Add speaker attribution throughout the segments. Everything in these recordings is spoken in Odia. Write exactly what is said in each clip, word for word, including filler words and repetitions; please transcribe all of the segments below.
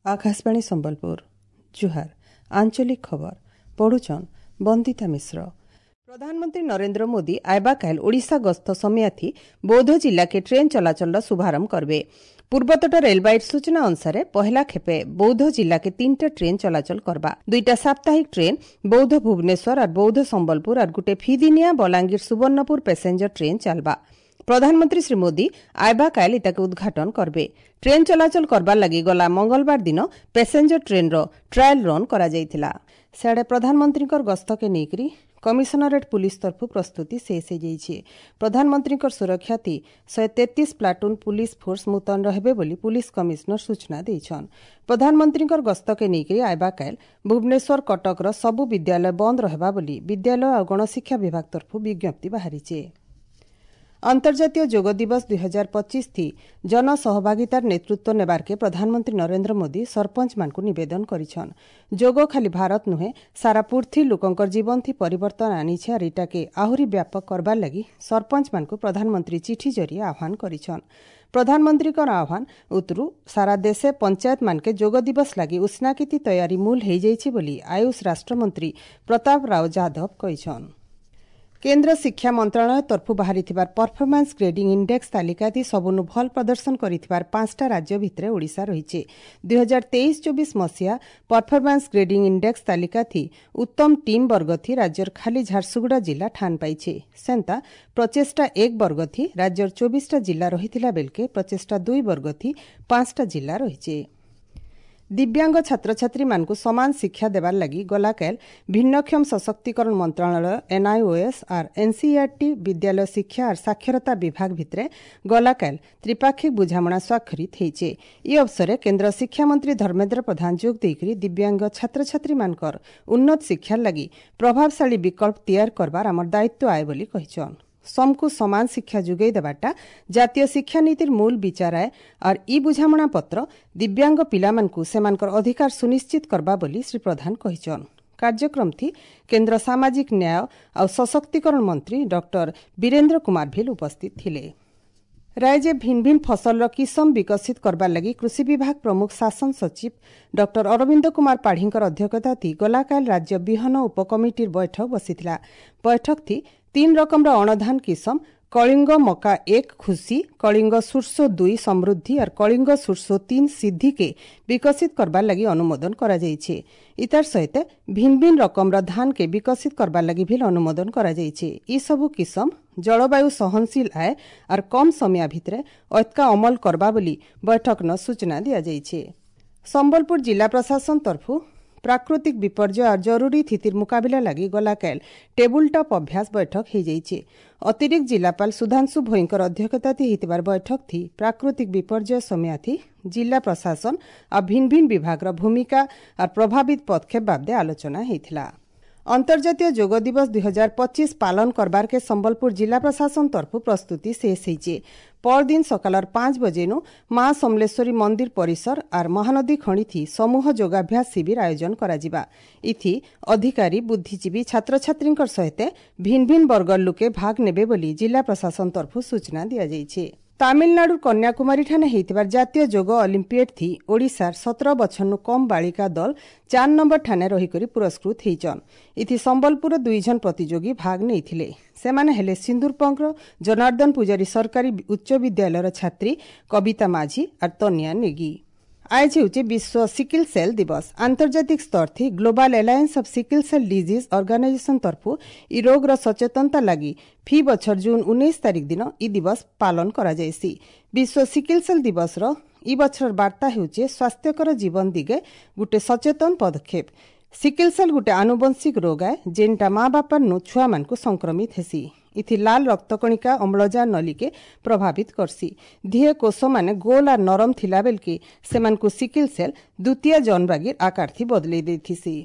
Speaker 1: ଆକାଶବାଣୀ ସମ୍ବଲପୁର ଜୁହାର ଆଞ୍ଚଳିକ ଖବର ପଢୁଛନ୍ ବନ୍ଦିତା ମିଶ୍ର ପ୍ରଧାନମନ୍ତ୍ରୀ ନରେନ୍ଦ୍ର ମୋଦି ଆଇବା କାଏଲ ଓଡ଼ିଶା ଗସ୍ତ ସମୟାଥି ବୌଦ୍ଧ ଜିଲ୍ଲାକେ ଟ୍ରେନ୍ ଚଳାଚଳର ଶୁଭାରମ୍ଭ କରବେ ପୂର୍ବତଟ ରେଲବାଇର ସୂଚନା ଅନୁସାରେ ପହେଲା ଖେପେ ବୌଦ୍ଧ ଜିଲ୍ଲାକେ ତିନିଟା ଟ୍ରେନ୍ ଚଳାଚଳ କରବା ଦୁଇଟା ସାପ୍ତାହିକ ଟ୍ରେନ୍ ବୌଦ୍ଧ ଭୁବନେଶ୍ୱର ଆର୍ ବୌଦ୍ଧ ସମ୍ବଲପୁର ଆର୍ ଗୁଟେ ଫିଦିନିଆ ବଲାଙ୍ଗୀର ସୁବର୍ଣ୍ଣପୁର ପ୍ୟାସେଞ୍ଜର ଟ୍ରେନ୍ ଚାଲବା ପ୍ରଧାନମନ୍ତ୍ରୀ ଶ୍ରୀ ମୋଦି ଆଇବା କାଏଲ ଇତାକେ ଉଦ୍ଘାଟନ କରବେ ଟ୍ରେନ୍ ଚଳାଚଳ କରବାର ଲାଗି ଗଲା ମଙ୍ଗଳବାର ଦିନ ପ୍ୟାସେଞ୍ଜର ଟ୍ରେନ୍ର ଟ୍ରାଏଲ୍ ରନ୍ କରାଯାଇଥିଲା ସିଆଡ଼େ ପ୍ରଧାନମନ୍ତ୍ରୀଙ୍କର ଗସ୍ତକେ ନେଇକରି କମିଶନରେଟ୍ ପୁଲିସ ତରଫରୁ ପ୍ରସ୍ତୁତି ଶେଷ ହୋଇଯାଇଛି ପ୍ରଧାନମନ୍ତ୍ରୀଙ୍କର ସୁରକ୍ଷା ଥି ଶହେ ତେତିଶ ପ୍ଲାଟୁନ୍ ପୁଲିସ ଫୋର୍ସ ମୁତୟନ ରହିବେ ବୋଲି ପୁଲିସ କମିଶନର ସୂଚନା ଦେଇଛନ୍ ପ୍ରଧାନମନ୍ତ୍ରୀଙ୍କର ଗସ୍ତକେ ନେଇକରି ଆଇବା କାଏଲ ଭୁବନେଶ୍ୱର କଟକର ସବୁ ବିଦ୍ୟାଳୟ ବନ୍ଦ ରହିବା ବୋଲି ବିଦ୍ୟାଳୟ ଆଉ ଗଣଶିକ୍ଷା ବିଭାଗ ତରଫରୁ ବିଜ୍ଞପ୍ତି ବାହାରିଛି ଅନ୍ତର୍ଜାତୀୟ ଯୋଗ ଦିବସ ଦୁଇ ହଜାର ପଚିଶ ଥି ଜନସହଭାଗିତାର ନେତୃତ୍ୱ ନେବାର୍କେ ପ୍ରଧାନମନ୍ତ୍ରୀ ନରେନ୍ଦ୍ର ମୋଦି ସରପଞ୍ଚମାନଙ୍କୁ ନିବେଦନ କରିଛନ୍ ଯୋଗ ଖାଲି ଭାରତ ନୁହେଁ ସାରା ପୃଥ୍ୱୀ ଲୋକଙ୍କର ଜୀବନଥି ପରିବର୍ତ୍ତନ ଆନିଛେ ଆର୍ ଇଟାକେ ଆହୁରି ବ୍ୟାପକ କରବାର୍ ଲାଗି ସରପଞ୍ଚମାନଙ୍କୁ ପ୍ରଧାନମନ୍ତ୍ରୀ ଚିଠି ଜରିଏ ଆହ୍ୱାନ କରିଛନ୍ ପ୍ରଧାନମନ୍ତ୍ରୀଙ୍କର ଆହ୍ୱାନ ଉତରୁ ସାରା ଦେଶେ ପଞ୍ଚାୟତମାନକେ ଯୋଗ ଦିବସ ଲାଗି ଉଷ୍ଣାକିତି ତୟାରୀ ମୂଲ ହେଇଯାଇଛି ବୋଲି ଆୟୁଷ ରାଷ୍ଟ୍ରମନ୍ତ୍ରୀ ପ୍ରତାପ ରାଓ ଯାଦବ କହିଛନ୍ କେନ୍ଦ୍ର ଶିକ୍ଷା ମନ୍ତ୍ରଣାଳୟ ତରଫରୁ ବାହାରିଥିବା ପରଫର୍ମାନ୍ସ ଗ୍ରେଡିଂ ଇଣ୍ଡେକ୍ସ ତାଲିକାଥି ସବୁନୁ ଭଲ ପ୍ରଦର୍ଶନ କରିଥିବାର ପାଞ୍ଚଟା ରାଜ୍ୟ ଭିତରେ ଓଡ଼ିଶା ରହିଛି ଦୁଇ ହଜାର ତେଇଶ ଚବିଶ ମସିହା ପରଫର୍ମାନ୍ସ ଗ୍ରେଡିଂ ଇଣ୍ଡେକ୍ସ ତାଲିକାଥି ଉତ୍ତମ ଟିମ୍ ବର୍ଗଥି ରାଜ୍ୟର ଖାଲି ଝାରସୁଗୁଡ଼ା ଜିଲ୍ଲା ଠାନ ପାଇছে ସେନ୍ତା ପ୍ରଚେଷ୍ଟା ଏକ ବର୍ଗଥି ରାଜ୍ୟର ଚବିଶଟା ଜିଲ୍ଲା ରହିଥିଲା ବେଲକେ ପ୍ରଚେଷ୍ଟା ଦୁଇ ବର୍ଗଥି ପାଞ୍ଚଟା ଜିଲ୍ଲା ରହିଛି ଦିବ୍ୟାଙ୍ଗ ଛାତ୍ରଛାତ୍ରୀମାନଙ୍କୁ ସମାନ ଶିକ୍ଷା ଦେବାର ଲାଗି ଗଲାକାଲ ଭିନ୍ନକ୍ଷମ ସଶକ୍ତିକରଣ ମନ୍ତ୍ରଣାଳୟ ଏନ୍ଆଇଓଏସ୍ ଆର୍ ଏନ୍ସିଇଆରଟି ବିଦ୍ୟାଳୟ ଶିକ୍ଷା ଆର୍ ସାକ୍ଷରତା ବିଭାଗ ଭିତରେ ଗଲାକାଲ ତ୍ରିପାକ୍ଷିକ ବୁଝାମଣା ସ୍ୱାକ୍ଷରିତ ହେଇଛେ ଇ ଅବସରେ କେନ୍ଦ୍ର ଶିକ୍ଷାମନ୍ତ୍ରୀ ଧର୍ମେନ୍ଦ୍ର ପ୍ରଧାନ ଯୋଗ ଦେଇକରି ଦିବ୍ୟାଙ୍ଗ ଛାତ୍ରଛାତ୍ରୀମାନଙ୍କର ଉନ୍ନତ ଶିକ୍ଷାର ଲାଗି ପ୍ରଭାବଶାଳୀ ବିକଳ୍ପ ତିଆରି କରବାର ଆମର ଦାୟିତ୍ୱ ଆଏ ବୋଲି କହିଛନ୍ ସମକୁ ସମାନ ଶିକ୍ଷା ଯୋଗାଇ ଦେବାଟା ଜାତୀୟ ଶିକ୍ଷାନୀତିର ମୂଳ ବିଚାର ଆଏ ଆର୍ ଇ ବୁଝାମଣା ପତ୍ର ଦିବ୍ୟାଙ୍ଗ ପିଲାମାନଙ୍କୁ ସେମାନଙ୍କର ଅଧିକାର ସୁନିଶ୍ଚିତ କରବା ବୋଲି ଶ୍ରୀ ପ୍ରଧାନ କହିଛନ୍ କାର୍ଯ୍ୟକ୍ରମଥି କେନ୍ଦ୍ର ସାମାଜିକ ନ୍ୟାୟ ଆଉ ସଶକ୍ତିକରଣ ମନ୍ତ୍ରୀ ଡକ୍ଟର ବୀରେନ୍ଦ୍ର କୁମାର ଭିଲ ଉପସ୍ଥିତ ଥିଲେ ରାଜ୍ୟ ଭିନ୍ନ ଭିନ୍ନ ଫସଲର କିସମ ବିକଶିତ କରବାର ଲାଗି କୃଷି ବିଭାଗ ପ୍ରମୁଖ ଶାସନ ସଚିବ ଡକ୍ଟର ଅରବିନ୍ଦ କୁମାର ପାଢ଼ୀଙ୍କର ଅଧ୍ୟକ୍ଷତାଥି ଗଲାକାଲ ରାଜ୍ୟ ବିହନ ଉପକମିଟିର ବୈଠକ ବସିଥିଲା ବୈଠକଥି ତିନ୍ ରକମର ଅଣଧାନ କିସମ କଳିଙ୍ଗ ମକା ଏକ ଖୁସି କଳିଙ୍ଗ ସୁର୍ସୋ ଦୁଇ ସମୃଦ୍ଧି ଆର୍ କଳିଙ୍ଗ ସୁର୍ସୋ ତିନ୍ ସିଦ୍ଧିକେ ବିକଶିତ କରବାର ଲାଗି ଅନୁମୋଦନ କରାଯାଇଛି ଇତାର ସହିତ ଭିନ୍ନ ଭିନ୍ନ ରକମର ଧାନକେ ବିକଶିତ କରବାର ଲାଗି ଭିଲ୍ ଅନୁମୋଦନ କରାଯାଇଛି ଇ ସବୁ କିସମ ଜଳବାୟୁ ସହନଶୀଳ ଆଏ ଆର୍ କମ୍ ସମୟ ଭିତରେ ଅତ୍କା ଅମଲ କରବା ବୋଲି ବୈଠକନ ସୂଚନା ଦିଆଯାଇଛି ସମ୍ବଲପୁର ଜିଲ୍ଲା ପ୍ରଶାସନ ତରଫରୁ ପ୍ରାକୃତିକ ବିପର୍ଯ୍ୟୟ ଆର୍ ଜରୁରୀ ସ୍ଥିତିର ମୁକାବିଲା ଲାଗି ଗଲାକାଲ ଟେବୁଲ ଟପ୍ ଅଭ୍ୟାସ ବୈଠକ ହେଇଯାଇଛି ଅତିରିକ୍ତ ଜିଲ୍ଲାପାଳ ସୁଧାଂଶୁ ଭୋଇଙ୍କର ଅଧ୍ୟକ୍ଷତାଥି ହେଇଥିବାର ବୈଠକଥି ପ୍ରାକୃତିକ ବିପର୍ଯ୍ୟୟ ସମୟାଥି ଜିଲ୍ଲା ପ୍ରଶାସନ ଆଉ ଭିନ୍ନ ଭିନ୍ନ ବିଭାଗର ଭୂମିକା ଆର୍ ପ୍ରଭାବିତ ପଦକ୍ଷେପ ବାବଦେ ଆଲୋଚନା ହେଇଥିଲା ଅନ୍ତର୍ଜାତୀୟ ଯୋଗ ଦିବସ ଦୁଇ ହଜାର ପଚିଶ ପାଳନ କରବାରକେ ସମ୍ବଲପୁର ଜିଲ୍ଲା ପ୍ରଶାସନ ତରଫରୁ ପ୍ରସ୍ତୁତି ଶେଷ ହେଇছে ପରଦିନ ସକାଳର ପାଞ୍ଚ ବଜେନୁ ମା ସମଲେଶ୍ୱରୀ ମନ୍ଦିର ପରିସର ଆର୍ ମହାନଦୀ ଖଣିଥି ସମୂହ ଯୋଗାଭ୍ୟାସ ଶିବିର ଆୟୋଜନ କରାଯିବା ଇଥି ଅଧିକାରୀ ବୁଦ୍ଧିଜୀବୀ ଛାତ୍ରଛାତ୍ରୀଙ୍କର ସହିତ ଭିନ୍ନ ଭିନ୍ନ ବର୍ଗର ଲୋକେ ଭାଗ ନେବେ ବୋଲି ଜିଲ୍ଲା ପ୍ରଶାସନ ତରଫରୁ ସୂଚନା ଦିଆଯାଇଛି ତାମିଲନାଡୁର କନ୍ୟାକୁମାରୀଠାନେ ହେଇଥିବାର ଜାତୀୟ ଯୋଗ ଅଲିମ୍ପିଏଡ୍ ଥି ଓଡ଼ିଶାର ସତର ବଛରନୁ କମ୍ ବାଳିକା ଦଳ ଚାର ନମ୍ବର ଠାନେ ରହିକରି ପୁରସ୍କୃତ ହେଇଛନ୍ ଇଥି ସମ୍ବଲପୁରର ଦୁଇ ଜଣ ପ୍ରତିଯୋଗୀ ଭାଗ ନେଇଥିଲେ ସେମାନେ ହେଲେ ସିନ୍ଦୁରପଙ୍କର ଜନାର୍ଦ୍ଦନ ପୂଜାରୀ ସରକାରୀ ଉଚ୍ଚ ବିଦ୍ୟାଳୟର ଛାତ୍ରୀ କବିତା ମାଝୀ ଆର୍ ତନିଆ ନେଗି ଆଜ ହେଉଛି ବିଶ୍ୱ ସିକିଲ ସେଲ୍ ଦିବସ ଆନ୍ତର୍ଜାତିକ ସ୍ତରଥି Global Alliance of Sickle Cell Disease Organization ତରଫରୁ ଇ ରୋଗର ସଚେତନତା ଲାଗି ଫି ବଛର ଜୁନ୍ ଉଣେଇଶ ତାରିଖ ଦିନ ଇ ଦିବସ ପାଳନ କରାଯାଇସି ବିଶ୍ୱ ସିକିଲ ସେଲ୍ ଦିବସର ଇ ବଛରର ବାର୍ତ୍ତା ହେଉଛି ସ୍ୱାସ୍ଥ୍ୟକର ଜୀବନ ଦିଗେ ଗୁଟେ ସଚେତନ ପଦକ୍ଷେପ ସିକିଲ ସେଲ୍ ଗୁଟେ ଆନୁବଂଶିକ ରୋଗ ଆଏ ଯେନ୍ଟା ମା ବାପାରନୁ ଛୁଆମାନଙ୍କୁ ସଂକ୍ରମିତ ହେସି ଇଥି ଲାଲ ରକ୍ତକଣିକା ଅମ୍ଳଜାନ ନଲିକେ ପ୍ରଭାବିତ କରସି ଧିଏ କୋଷମାନେ ଗୋଲ ଆର୍ ନରମ ଥିଲା ବେଲକେ ସେମାନଙ୍କୁ ସିକିଲ ସେଲ୍ ଦ୍ୱିତୀୟ ଜନ୍ବାଗିର ଆକାରଥି ବଦଲେଇ ଦେଇଥିସି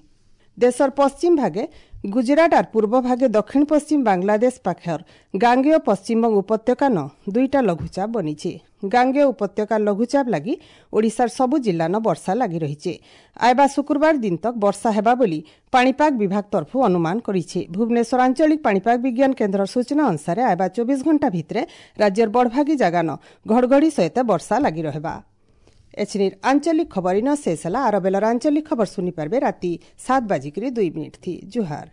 Speaker 1: ଦେଶର ପଶ୍ଚିମ ଭାଗେ ଗୁଜରାଟ ଆର୍ ପୂର୍ବ ଭାଗେ ଦକ୍ଷିଣ ପଶ୍ଚିମ ବାଂଲାଦେଶ ପାଖର ଗାଙ୍ଗେୟ ପଶ୍ଚିମବଙ୍ଗ ଉପତ୍ୟକା ନ ଦୁଇଟା ଲଘୁଚାପ ବନିছে ଗାଙ୍ଗେୟ ଉପତ୍ୟକା ଲଘୁଚାପ ଲାଗି ଓଡ଼ିଶାର ସବୁ ଜିଲ୍ଲାନ ବର୍ଷା ଲାଗି ରହିছে ଆଇବା ଶୁକ୍ରବାର ଦିନ ତକ ବର୍ଷା ହେବା ବୋଲି ପାଣିପାଗ ବିଭାଗ ତରଫରୁ ଅନୁମାନ କରିছে ଭୁବନେଶ୍ୱର ଆଞ୍ଚଳିକ ପାଣିପାଗ ବିଜ୍ଞାନ କେନ୍ଦ୍ରର ସୂଚନା ଅନୁସାରେ ଆଇବା ଚବିଶ ଘଣ୍ଟା ଭିତରେ ରାଜ୍ୟର ବଡ଼ଭାଗୀ ଜାଗାନ ଘଡ଼ଘଡ଼ି ସହିତ ବର୍ଷା ଲାଗି ରହିବା ଏଛିନିର ଆଞ୍ଚଳିକ ଖବର ଇନ ଶେଷ ହେଲା। ଆର ବେଲର ଆଞ୍ଚଳିକ ଖବର ଶୁନି ପାରବେ ରାତି ସାତ ବାଜିକରି ଦୁଇ ମିନିଟ୍ ଥି। ଜୁହାର।